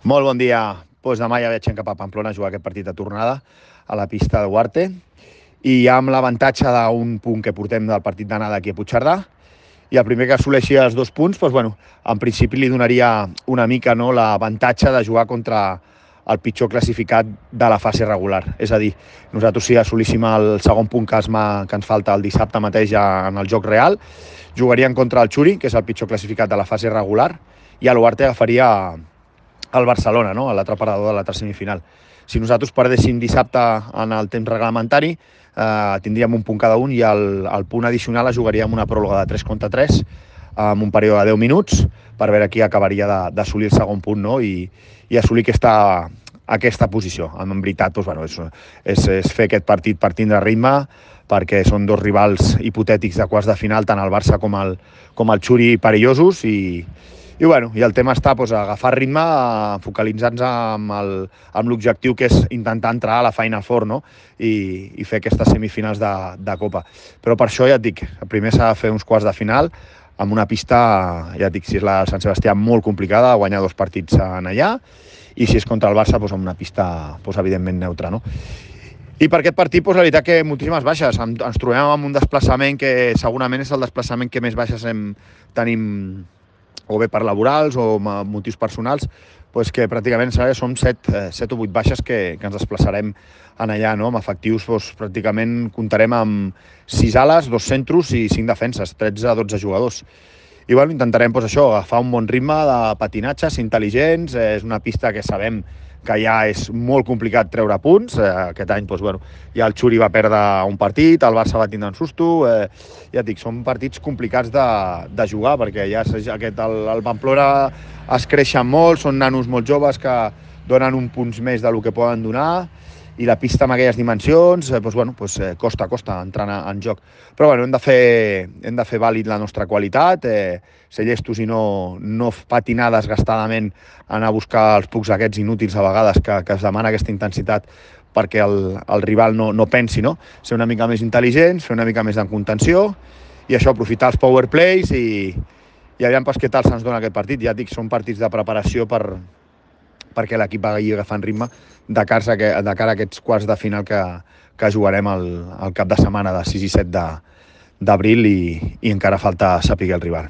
Molt bon dia. Demà ja viatgem cap a Pamplona a jugar aquest partit de tornada a la pista de Duarte i ja amb l'avantatge d'un punt que portem del partit d'anada aquí a Puigcerdà, i el primer que assoleixi els 2 punts, en principi li donaria una mica l'avantatge de jugar contra el pitjor classificat de la fase regular. És a dir, nosaltres si assolíssim el segon punt que ens falta el dissabte mateix ja en el joc real, jugaríem contra el Xuri, que és el pitjor classificat de la fase regular, i a l'Uarte agafaria el Barcelona, no? A l'altre parador de l'altra semifinal. Si nosaltres perdéssim dissabte en el temps reglamentari, tindríem un punt cada un i el punt addicional es jugaria amb una pròrroga de 3 contra 3 amb un període de 10 minuts per veure qui acabaria d'assolir el segon punt, no? I assolir aquesta posició. En veritat, és fer aquest partit per tindre ritme, perquè són dos rivals hipotètics de quarts de final, tant el Barça com el Xuri perillosos, i el tema està a agafar ritme, focalitzar-nos amb l'objectiu que és intentar entrar a la Final Four, no? I fer aquestes semifinals de Copa. Però per això, ja et dic, primer s'ha de fer uns quarts de final amb una pista, ja et dic, si és la Sant Sebastià, molt complicada, guanyar 2 partits en allà, i si és contra el Barça, amb una pista evidentment neutra, no? I per aquest partit, la veritat que moltíssimes baixes. Ens trobem amb un desplaçament que segurament és el desplaçament que més baixes tenim, o bé per laborals o motius personals, que pràcticament som 7 o 8 baixes que ens desplaçarem en allà, no? Amb efectius pràcticament comptarem amb 6 ales, 2 centros i 5 defenses, 13 a 12 jugadors. I intentarem agafar un bon ritme de patinatges intel·ligents. És una pista que sabem que ja és molt complicat treure punts. Aquest any ja el Xuri va perdre un partit, el Barça va tindre un susto. Ja et dic, són partits complicats de jugar, perquè ja el Pamplona es creixen molt, són nanos molt joves que donen un punts més del que poden donar, i la pista amb aquelles dimensions, costa entrar en joc. Però hem de fer vàlid la nostra qualitat, ser llestos i no patinar desgastadament, anar a buscar els pucs aquests inútils a vegades que es demana aquesta intensitat perquè el rival no pensi, no? Ser una mica més intel·ligents, fer una mica més de contenció, i això, aprofitar els power plays i aviam què tal se'ns dona aquest partit. Ja et dic, són partits de preparació perquè l'equip vagi agafant ritme de cara a aquests quarts de final que jugarem el cap de setmana de 6 i 7 d'abril, i encara falta saber el rival.